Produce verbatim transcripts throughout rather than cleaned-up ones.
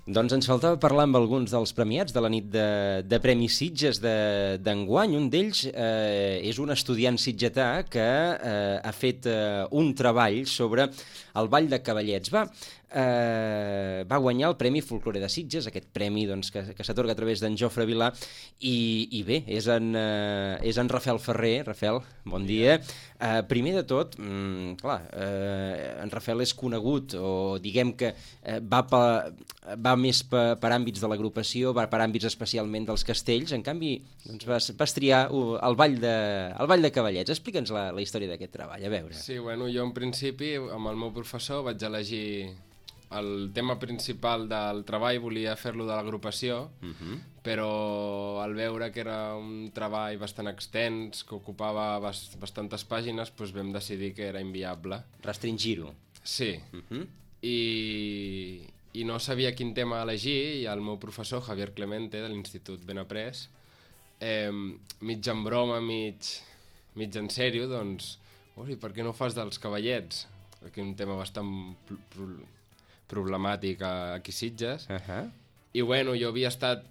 Doncs ens faltava parlar amb alguns dels premiats de la nit de, de Premis Sitges d'enguany. Un d'ells eh, és un estudiant sitgetà que eh, ha fet eh, un treball sobre el Ball de Cavallets. Va, eh, va guanyar el Premi Folklore de Sitges, aquest premi doncs, que, que s'atorga a través d'en Jofre Vilà, i, i bé, és en, eh, és en Rafael Ferrer. Rafael, bon dia. Eh, primer de tot, mm, clar, eh, en Rafael és conegut, o diguem que eh, va, pa, va més per, per àmbits de l'agrupació, va per àmbits especialment dels castells. En canvi, doncs vas, vas triar uh, el, ball de, el Ball de Cavallets. Explica'ns la, la història d'aquest treball, a veure. Sí, bueno, jo en principi, amb el meu professor, vaig elegir el tema principal del treball, volia fer-lo de l'agrupació, uh-huh. però al veure que era un treball bastant extens, que ocupava bast bastantes pàgines, doncs vam decidir que era inviable. Restringir-ho. Sí, uh-huh. I, i no sabia quin tema elegir, i el meu professor, Javier Clemente, de l'Institut Benaprés, eh, mig en broma, mig, mig en sèrio, doncs, ui, per què no fas dels cavallets? Aquí un tema bastant pro problemàtic aquí a Sitges. Uh-huh. I bueno, jo havia estat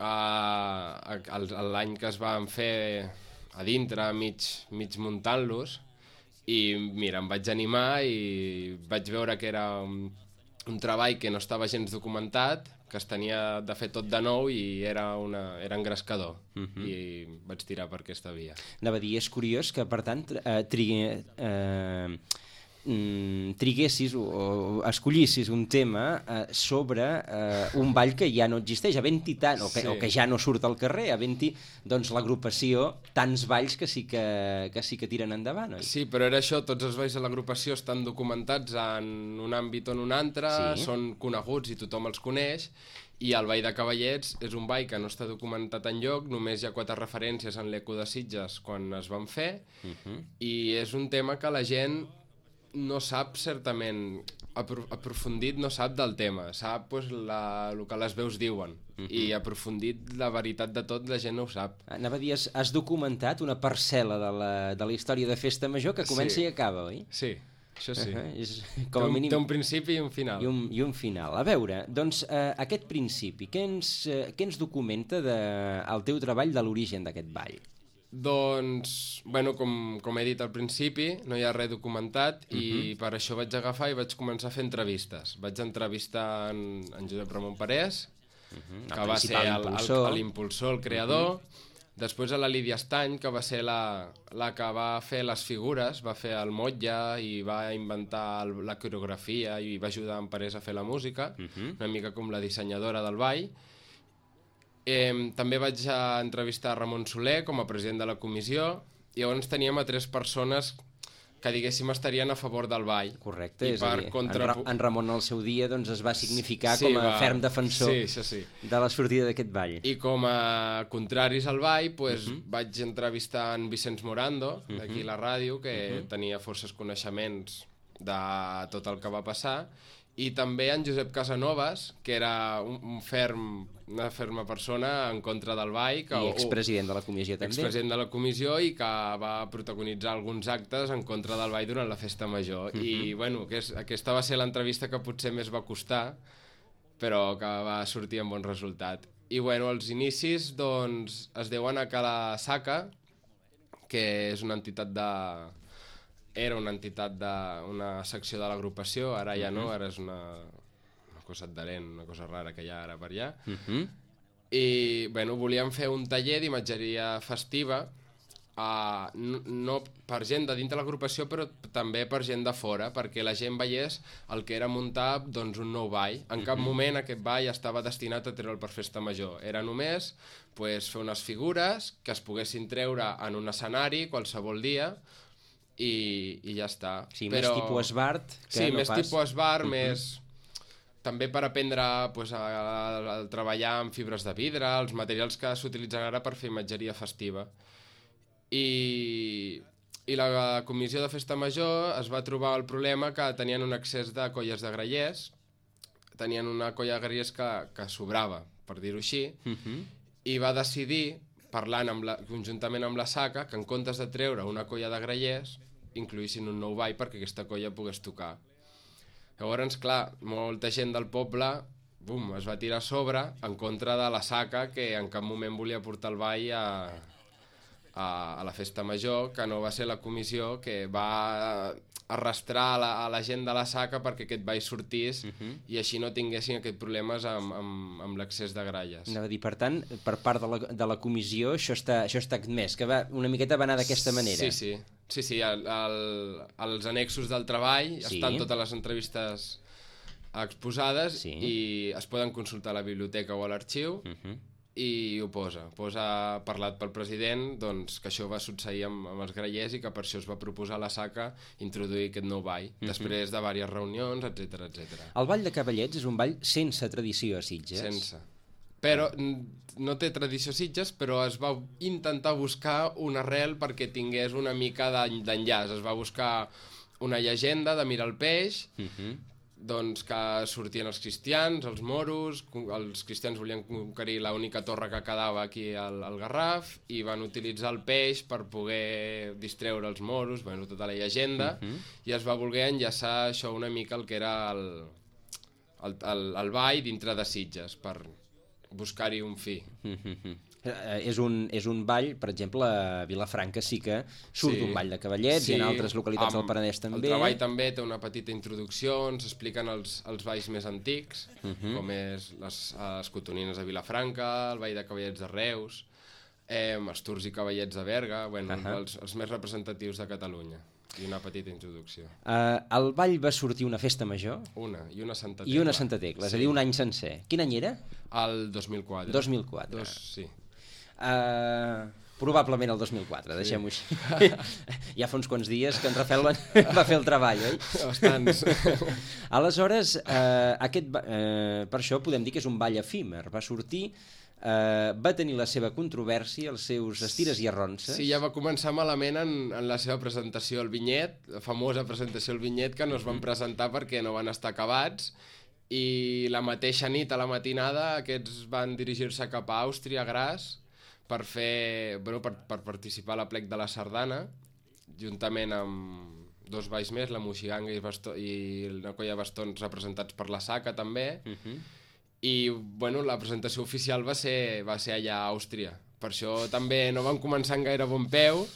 uh, l'any que es van fer a dintre, mig, mig muntant-los, i mira, em vaig animar i vaig veure que era un, un treball que no estava gens documentat, que es tenia de fer tot de nou i era, una, era engrescador. Uh-huh. I vaig tirar per aquesta via. Anava a dir, és curiós que, per tant, eh, trigui, eh, mm, triguessis o, o escollissis un tema eh, sobre eh, un ball que ja no existeix, havent-hi tant, o que, sí. o que ja no surt al carrer, havent-hi doncs, l'agrupació, tants balls que sí que, que sí que tiren endavant, oi? Sí, però era això, tots els balls de l'agrupació estan documentats en un àmbit o en un altre, sí. són coneguts i tothom els coneix, i el Ball de Cavallets és un ball que no està documentat enlloc, només hi ha quatre referències en l'Eco de Sitges quan es van fer, uh-huh. i és un tema que la gent no sap certament, apro aprofundit no sap del tema, sap pues, la, el que les veus diuen, uh-huh. i aprofundit la veritat de tot la gent no ho sap. Anava a dir, has, has documentat una parcel·la de la, de la història de Festa Major que comença sí. i acaba, oi? Sí, això sí. Uh-huh. és, com té, un, mínim... té un principi i un final. I un, i un final. A veure, doncs, eh, aquest principi, què ens, eh, què ens documenta de, el teu treball de l'origen d'aquest ball? Doncs, bueno, com, com he dit al principi, no hi ha res documentat, uh-huh. i per això vaig agafar i vaig començar a fer entrevistes. Vaig entrevistar en, en Josep Ramon Parés, uh-huh. que va ser l'impulsor, el, el creador, uh-huh. després a la Lídia Estany, que va ser la, la que va fer les figures, va fer el motlle i va inventar el, la coreografia i va ajudar en Parés a fer la música, uh-huh. una mica com la dissenyadora del ball. Eh, també vaig a entrevistar Ramon Soler com a president de la comissió, i llavors teníem a tres persones que diguéssim estarien a favor del ball. Correcte, és a dir, contra... en, Ra en Ramon al seu dia doncs, es va significar sí, com a va... ferm defensor sí, sí. de la sortida d'aquest ball. I com a contraris al ball pues, uh -huh. vaig entrevistar en Vicenç Morando, d'aquí uh -huh. la ràdio, que uh -huh. tenia forces coneixements de tot el que va passar, i també en Josep Casanovas, que era un, un ferm, una ferma persona en contra del ball. Que, I expresident de la comissió també. Expresident de la comissió i que va protagonitzar alguns actes en contra del ball durant la Festa Major. Uh-huh. I bueno, que és, aquesta va ser l'entrevista que potser més va costar, però que va sortir amb bon resultat. I bueno, els inicis doncs, es deuen a Cala Saca, que és una entitat de... era una entitat de... una secció de l'agrupació, ara ja no, ara és una, una cosa adherent, una cosa rara que hi ha ara per allà. Uh-huh. I, bueno, volíem fer un taller d'imatgeria festiva, uh, no, no per gent de dintre l'agrupació, però també per gent de fora, perquè la gent veiés el que era muntar doncs, un nou ball. En uh-huh. cap moment aquest ball estava destinat a treure'l per Festa Major. Era només pues, fer unes figures que es poguessin treure en un escenari qualsevol dia, I, i ja està. Sí, però... més tipus esbart. Sí, no més pas... tipus esbart, uh-huh. més... També per aprendre pues, a, a, a treballar amb fibres de vidre, els materials que s'utilitzen ara per fer imatgeria festiva. I, I la comissió de Festa Major es va trobar el problema que tenien un excés de colles de grallers, tenien una colla de grallers que, que sobrava, per dir-ho així, uh-huh. i va decidir, parlant amb la, conjuntament amb la Saca, que en comptes de treure una colla de grallers, incloïssin un nou ball perquè aquesta colla pogués tocar. Llavors, clar, molta gent del poble bum, es va tirar a sobre en contra de la Saca, que en cap moment volia portar el ball a, a, a la festa major, que no va ser la comissió que va arrastrar a la, a la gent de la Saca perquè aquest ball sortís uh-huh. i així no tinguessin aquests problemes amb, amb, amb l'accés de gralles. Anava a dir, per tant, per part de la, de la comissió això està, això està admès, que va, una miqueta va anar d'aquesta manera. Sí, sí, sí, sí el, el, els annexos del treball sí. estan totes les entrevistes exposades sí. i es poden consultar a la biblioteca o a l'arxiu uh-huh. i ho posa, posa parlat pel president doncs, que això va succeir amb, amb els grallers i que per això es va proposar a la Saca introduir aquest nou ball, uh-huh. després de diverses reunions, etcètera, etcètera. El ball de Cavallets és un ball sense tradició a Sitges. Sense. Però no té tradició a Sitges, però es va intentar buscar una arrel perquè tingués una mica d'enllaç. Es va buscar una llegenda de Mirar el Peix, uh-huh. doncs que sortien els cristians, els moros, els cristians volien conquerir l'única torre que quedava aquí al, al Garraf i van utilitzar el peix per poder distreure els moros, bueno, tota la llegenda, uh-huh. i es va voler enllaçar això una mica el que era el, el, el, el ball dintre de Sitges, per buscar-hi un fi. Uh-huh. Eh, és, un, és un ball, per exemple, a Vilafranca sí que surt sí. un ball de Cavallets sí. i en altres localitats del Penedès també. El treball també té una petita introducció, ens expliquen els, els balls més antics, uh-huh. com és les, les cotonines de Vilafranca, el ball de Cavallets de Reus, eh, els Tours i Cavallets de Berga, bueno, uh-huh. els, els més representatius de Catalunya. I una petita introducció. Uh, el ball va sortir una festa major? Una, i una Santa Tecla. I una Santa Tecla, sí. És a dir, un any sencer. Quin any era? El dos mil quatre. dos mil quatre. Dos, sí. Uh, probablement el dos mil quatre, sí. Deixem-ho així. Ja fa uns quants dies que en Rafael va, va fer el treball, oi? Bastants. Aleshores, uh, aquest, uh, per això podem dir que és un ball efímer. Va sortir, uh, va tenir la seva controvèrsia, els seus estires i arronses. Sí, ja va començar malament en, en la seva presentació al Vinyet, la famosa presentació al Vinyet, que no es van presentar perquè no van estar acabats, i la mateixa nit, a la matinada, aquests van dirigir-se cap a Àustria, a Graz, per fer, bueno, per, per participar a la plec de la Sardana, juntament amb dos balls més, la Moixiganga i, bastó, i una colla de bastons representats per la Saca també, uh-huh. i bueno, la presentació oficial va ser, va ser allà a Àustria. Per això també no van començar en gaire bon peu,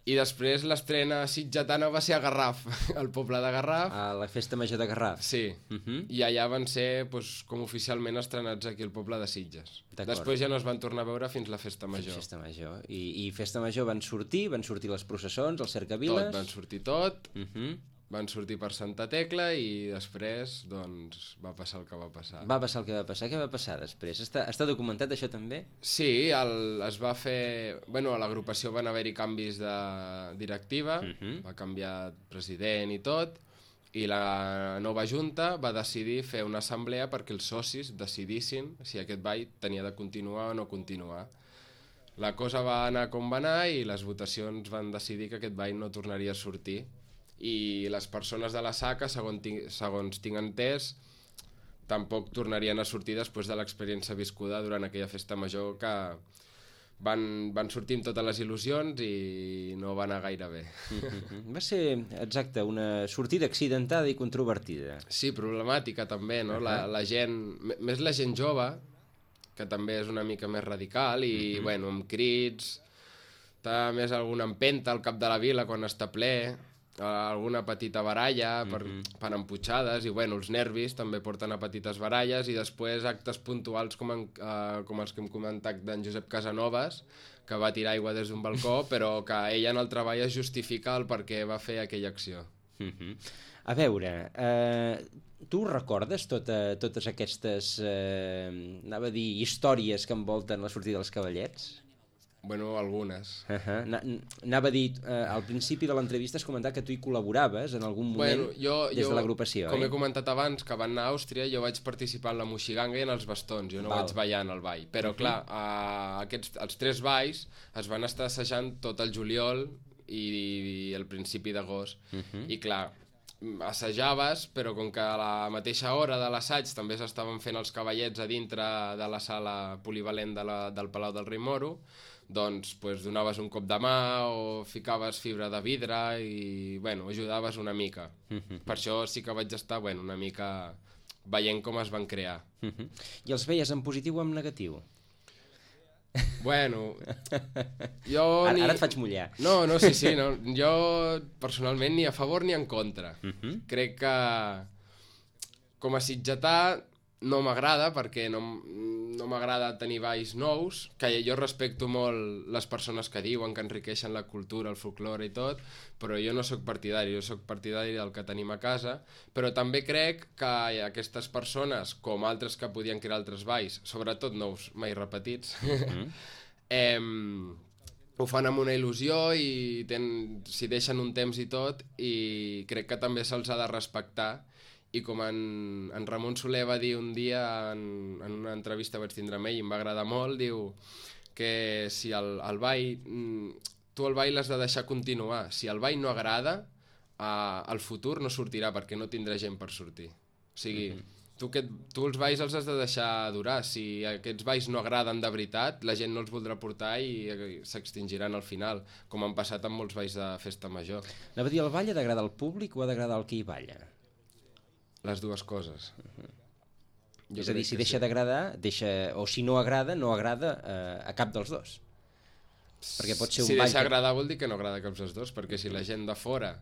i després l'estrena sitgetana va ser a Garraf, al poble de Garraf. A la festa major de Garraf. Sí, uh-huh. i allà van ser pues, com oficialment estrenats aquí al poble de Sitges. Després ja no es van tornar a veure fins la festa major. Festa major. I, i festa major van sortir, van sortir les processons, els cercaviles... Tot, van sortir tot, uh-huh. van sortir per Santa Tecla i després doncs, va passar el que va passar. Va passar el que va passar. Què va passar després? Està, està documentat això també? Sí, el, es va fer... Bueno, a l'agrupació van haver-hi canvis de directiva, uh-huh. va canviar president i tot, i la nova junta va decidir fer una assemblea perquè els socis decidissin si aquest ball tenia de continuar o no continuar. La cosa va anar com va anar i les votacions van decidir que aquest ball no tornaria a sortir. I les persones de la Saca, segons tinc, segons tinc entès, tampoc tornarien a sortir després de l'experiència viscuda durant aquella festa major, que van, van sortir amb totes les il·lusions i no va anar gaire bé. Va ser, exacte, una sortida accidentada i controvertida. Sí, problemàtica també, no? Uh-huh. La, la gent, més la gent jove, que també és una mica més radical i, uh-huh. bueno, amb crits, està més alguna empenta al cap de la vila quan està ple... alguna petita baralla per, mm-hmm. per emputxades i bueno, els nervis també porten a petites baralles i després actes puntuals com, en, uh, com els que hem comentat d'en Josep Casanovas, que va tirar aigua des d'un balcó però que ella en el treball es justifica el per què va fer aquella acció. Mm-hmm. A veure, eh, tu recordes tota, totes aquestes eh, anava a dir, històries que envolten la sortida dels Cavallets? Bueno, algunes. Uh-huh. Anava a dir, eh, al principi de l'entrevista has comentat que tu hi col·laboraves en algun moment bueno, jo, des jo, de l'agrupació, com eh? he comentat abans, que van anar a Àustria, jo vaig participar en la Moixiganga i en els bastons, jo no Val. vaig ballar en el ball. Però, uh-huh. clar, eh, aquests, els tres balls es van estar assajant tot el juliol i, i el principi d'agost. Uh-huh. I, clar, assajaves, però com que a la mateixa hora de l'assaig també s'estaven fent els cavallets a dintre de la sala polivalent de la, del Palau del Rei Moro, doncs pues, donaves un cop de mà o ficaves fibra de vidre i bueno, ajudaves una mica. Mm-hmm. Per això sí que vaig estar bueno, una mica veient com es van crear. Uh-huh. I els veies en positiu o en negatiu? Bueno, jo... Ara, ni... ara et faig mullar. No, no, sí, sí, no. Jo personalment ni a favor ni en contra. Uh-huh. Crec que com a sitgetà no m'agrada perquè no, no m'agrada tenir balls nous, que jo respecto molt les persones que diuen que enriqueixen la cultura, el folklore i tot, però jo no sóc partidari, jo sóc partidari del que tenim a casa, però també crec que aquestes persones, com altres que podien crear altres balls, sobretot nous, mai repetits, mm. eh, ho fan amb una il·lusió i ten, s'hi deixen un temps i tot, i crec que també se'ls ha de respectar. I com en, en Ramon Soler va dir un dia en, en una entrevista que vaig tindre amb ell i em va agradar molt, diu que si el, el ball, tu el ball l'has de deixar continuar. Si el ball no agrada, eh, al futur no sortirà perquè no tindrà gent per sortir. O sigui, mm-hmm. tu, que, tu els balls els has de deixar durar. Si aquests balls no agraden de veritat, la gent no els voldrà portar i s'extingiran al final, com han passat amb molts balls de festa major. Anava a dir, el ball ha d'agradar al públic o ha d'agradar al que hi balla? Les dues coses. Uh-huh. És a dir, si deixa sí. d'agradar, deixa... o si no agrada, no agrada eh, a cap dels dos. Perquè pot ser un si ball... deixa que... agradar vol dir que no agrada a cap dels dos, perquè si la gent de fora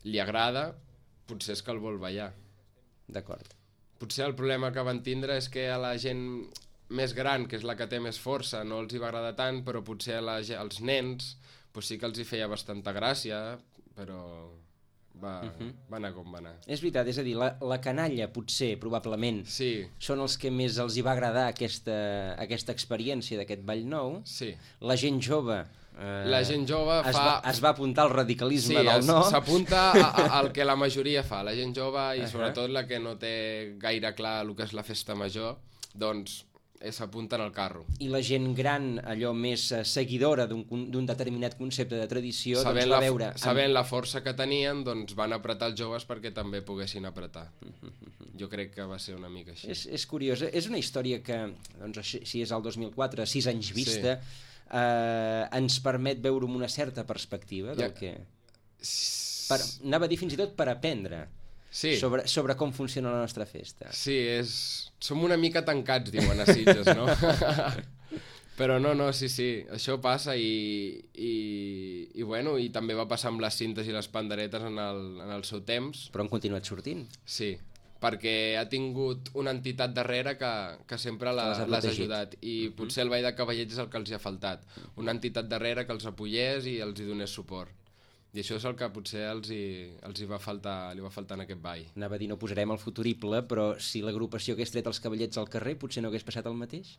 li agrada, potser és que el vol ballar. D'acord. Potser el problema que van tindre és que a la gent més gran, que és la que té més força, no els hi va agradar tant, però potser a la, als nens pues sí que els hi feia bastanta gràcia, però... Va, uh-huh. va anar com va anar. És veritat, és a dir, la, la canalla potser, probablement, sí. són els que més els hi va agradar aquesta, aquesta experiència d'aquest ball nou. Sí. La gent jove... Eh, la gent jove es fa... Va, es va apuntar al radicalisme sí, del no. S'apunta al que la majoria fa. La gent jove i uh-huh. sobretot la que no té gaire clar el que és la festa major, doncs s'apunten al carro. I la gent gran, allò més seguidora d'un determinat concepte de tradició, sabent doncs va la, veure... Sabent amb... la força que tenien, doncs van apretar els joves perquè també poguessin apretar. Jo crec que va ser una mica així. És, és curiós, és una història que, doncs, si és el dos mil quatre, sis anys vista, sí. eh, ens permet veure amb una certa perspectiva del ja. que... Per, anava a dir fins i tot per aprendre. Sí. Sobre, sobre com funciona la nostra festa. Sí, és... som una mica tancats, diuen a Sitges, no? Però no, no, sí, sí, això passa i, i, i, bueno, i també va passar amb les cintes i les panderetes en el, en el seu temps. Però han continuat sortint. Sí, perquè ha tingut una entitat darrere que, que sempre l'ha ha ajudat i uh-huh. potser el Ball de Cavallets és el que els hi ha faltat. Una entitat darrere que els apoyés i els hi donés suport. I això és el que potser els hi, els hi va faltar, li va faltar en aquest ball. Anava a dir, no posarem el futurible, però si l'agrupació hagués tret els cavallets al carrer, potser no hagués passat el mateix?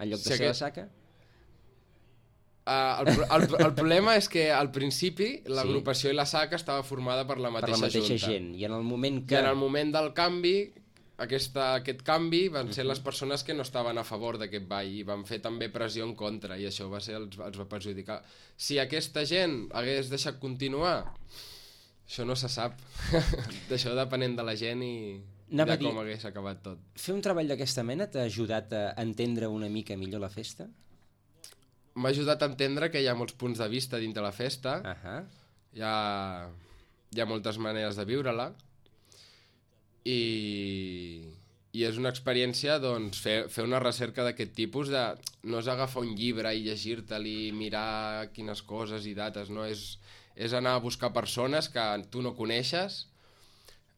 En lloc de si ser aquest... la saca? Uh, el, el, el problema és que al principi l'agrupació sí. i la saca estava formada per la mateixa, per la mateixa junta. gent. I en el moment que... I en el moment del canvi... Aquesta, aquest canvi van ser les persones que no estaven a favor d'aquest ball i van fer també pressió en contra i això va ser, els, els va perjudicar. Si aquesta gent hagués deixat continuar, això no se sap. D'això depenent de la gent i Anava de com dir, hagués acabat tot. Fer un treball d'aquesta mena t'ha ajudat a entendre una mica millor la festa? M'ha ajudat a entendre que hi ha molts punts de vista dintre la festa, uh-huh. hi, ha, hi ha moltes maneres de viure-la, I, i és una experiència doncs, fer, fer una recerca d'aquest tipus de, no és agafar un llibre i llegir-te'l i mirar quines coses i dates, no? És, és anar a buscar persones que tu no coneixes,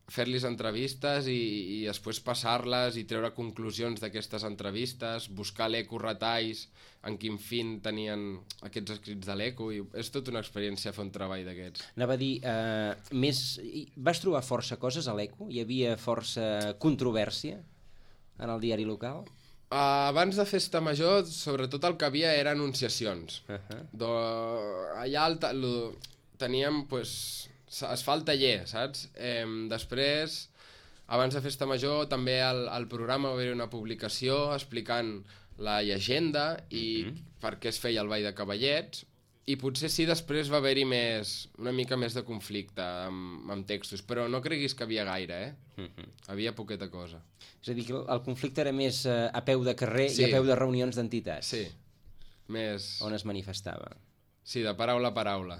fer-los entrevistes i, i després passar-les i treure conclusions d'aquestes entrevistes, buscar l'eco retalls, en quin fin tenien aquests escrits de l'eco, i és tota una experiència fer un treball d'aquests. Anava a dir, eh, més... vas trobar força coses a l'eco? Hi havia força controvèrsia en el diari local? Uh, abans de Festa Major, sobretot el que havia era anunciacions. Uh-huh. Do, allà el, lo, teníem, pues, es fa el taller, saps? Eh, després, abans de Festa Major, també al, al programa va haver una publicació explicant la llegenda i uh-huh. per què es feia el Ball de Cavallets, i potser sí després va haver-hi més, una mica més de conflicte amb, amb textos, però no creguis que havia gaire, eh? Uh-huh. Havia poqueta cosa. És a dir, que el conflicte era més eh, a peu de carrer sí. i a peu de reunions d'entitats. Sí, més... On es manifestava. Sí, de paraula a paraula.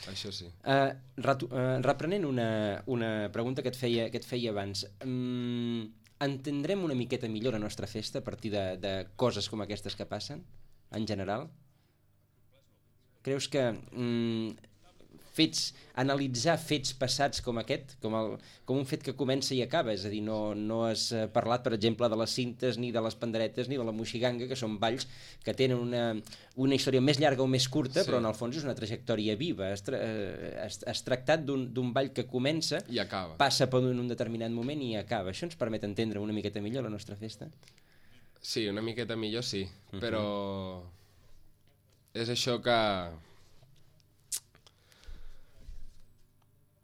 Això sí. Uh, retu- uh, reprenent una, una pregunta que et feia, que et feia abans, um, entendrem una miqueta millor la nostra festa a partir de, de coses com aquestes que passen, en general? Creus que um, fets, analitzar fets passats com aquest, com, el, com un fet que comença i acaba, és a dir, no, no has parlat, per exemple, de les cintes, ni de les panderetes, ni de la moixiganga, que són balls que tenen una, una història més llarga o més curta, sí. Però en el fons és una trajectòria viva. Has, tra has, has tractat d'un ball que comença, i acaba. Passa per un determinat moment i acaba. Això ens permet entendre una miqueta millor la nostra festa? Sí, una miqueta millor sí, uh-huh. Però és això que...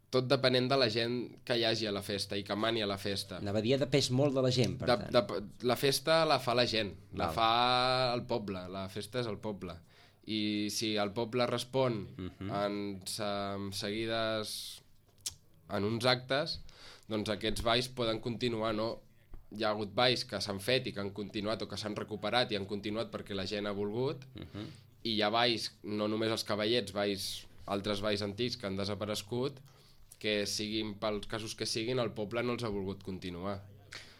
tot depenent de la gent que hi hagi a la festa i que mani a la festa. Anava a dir, depèn molt de la gent, per de, tant. De, la festa la fa la gent, Val. la fa el poble, la festa és el poble. I si el poble respon uh-huh. en, en seguides en uns actes, doncs aquests balls poden continuar, no? Hi ha hagut balls que s'han fet i que han continuat o que s'han recuperat i han continuat perquè la gent ha volgut, uh-huh. I hi ha balls, no només els cavallets, balls, altres balls antics que han desaparegut, que siguin, pels casos que siguin, el poble no els ha volgut continuar.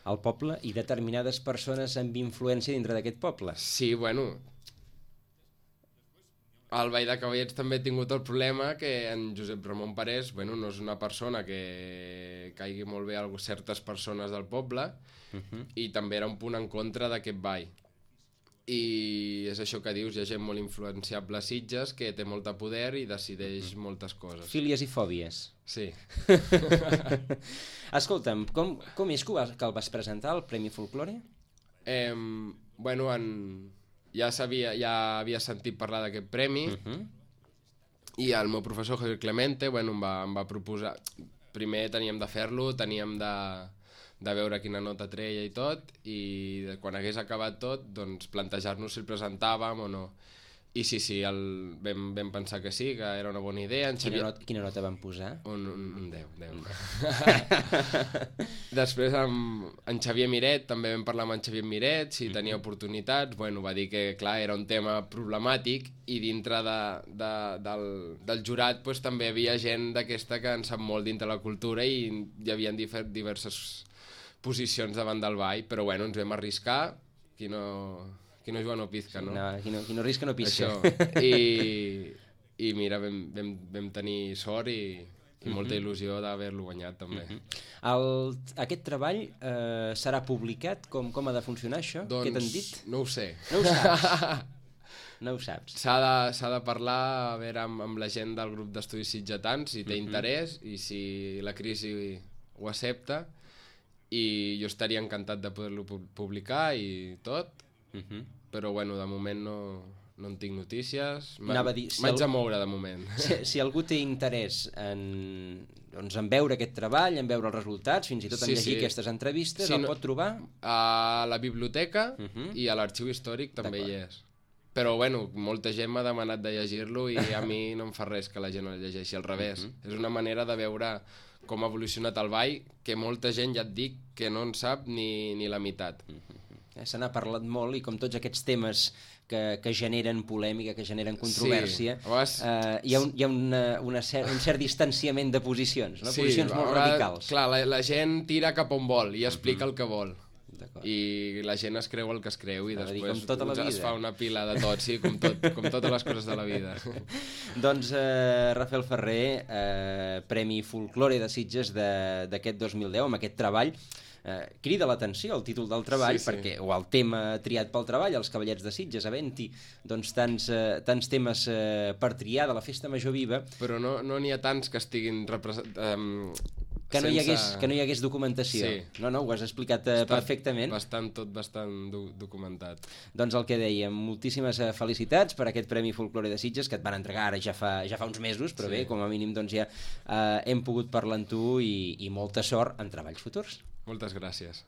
El poble i determinades persones amb influència dintre d'aquest poble. Sí, bueno, el Ball de Cavallets també ha tingut el problema que en Josep Ramon Parés, bueno, no és una persona que caigui molt bé a certes persones del poble, uh-huh. I també era un punt en contra d'aquest ball. I és això que dius, hi ha gent molt influenciable a Sitges que té molta poder i decideix mm. moltes coses. Fílies i fòbies. Sí. Escolta'm, com, com és que, vas, que el vas presentar, el Premi Folklore? Eh, bueno, en, ja, sabia, ja havia sentit parlar d'aquest premi, uh-huh. I el meu professor Javier Clemente bueno, em, va, em va proposar... Primer teníem de fer-lo, teníem de... de veure quina nota treia i tot, i quan hagués acabat tot, doncs plantejar-nos si el presentàvem o no. I sí, sí, el, vam, vam pensar que sí, que era una bona idea. En Xavier... quina, nota, quina nota van posar? Un, un, un deu, deu. Després amb en Xavier Miret, també vam parlar amb en Xavier Miret, si tenia oportunitats, bueno, va dir que clar, era un tema problemàtic i dintre de, de, del, del jurat pues, també hi havia gent d'aquesta que en sap molt dintre la cultura i hi havia diverses posicions davant del ball, però bueno, ens vam arriscar, qui no, qui no juga no pizca, no? no qui, no qui no risca no pisca. Això, i, i mira, vam, vam, vam tenir sort i, i uh-huh. molta il·lusió d'haver-lo guanyat també. Uh-huh. El, aquest treball eh, serà publicat? Com, com ha de funcionar això? Doncs, què t'han dit? No ho sé. No ho saps? No ho saps. S'ha de, s'ha de parlar a veure, amb, amb la gent del grup d'estudis sitgetans, si té uh-huh. interès i si la crisi ho accepta. I jo estaria encantat de poder-lo publicar i tot, uh-huh. Però bueno, de moment no, no en tinc notícies, m'haig si de al... moure de moment. Si, si algú té interès en, doncs, en veure aquest treball, en veure els resultats, fins i tot en sí, llegir sí. aquestes entrevistes, sí, el no... pot trobar? A la biblioteca uh-huh. I a l'arxiu històric també hi és. Però bueno, molta gent m'ha demanat de llegir-lo i a mi no em fa res que la gent no el llegeixi, al revés. Uh-huh. És una manera de veure com ha evolucionat el ball, que molta gent, ja et dic, que no en sap ni, ni la meitat. Eh, se n'ha parlat molt i com tots aquests temes que, que generen polèmica, que generen controvèrsia, sí, vegades... eh, hi ha, un, hi ha una, una cer un cert distanciament de posicions, no? Sí, posicions molt vegades, radicals. Clar, la, la gent tira cap on vol i explica uh-huh. el que vol. I la gent es creu el que es creu i a després dir, tota es fa una pila de tot, sí, com, tot, com totes les coses de la vida. Doncs eh, Rafael Ferrer, eh, Premi Folklore de Sitges d'aquest dos mil deu, amb aquest treball, eh, crida l'atenció el títol del treball, sí, sí. perquè, o el tema triat pel treball, els Cavallets de Sitges, havent-hi doncs, tants, eh, tants temes eh, per triar de la Festa Major Viva. Però no n'hi no ha tants que estiguin representats... Eh, Que no, sense... hi hagués, que no hi hagués documentació. Sí. No, no, ho has explicat uh, perfectament. Bastant, tot bastant do documentat. Doncs el que dèiem, moltíssimes uh, felicitats per aquest Premi Folklore de Sitges, que et van entregar ara ja fa, ja fa uns mesos, però sí. Bé, com a mínim doncs, ja uh, hem pogut parlar amb tu i, i molta sort en treballs futurs. Moltes gràcies.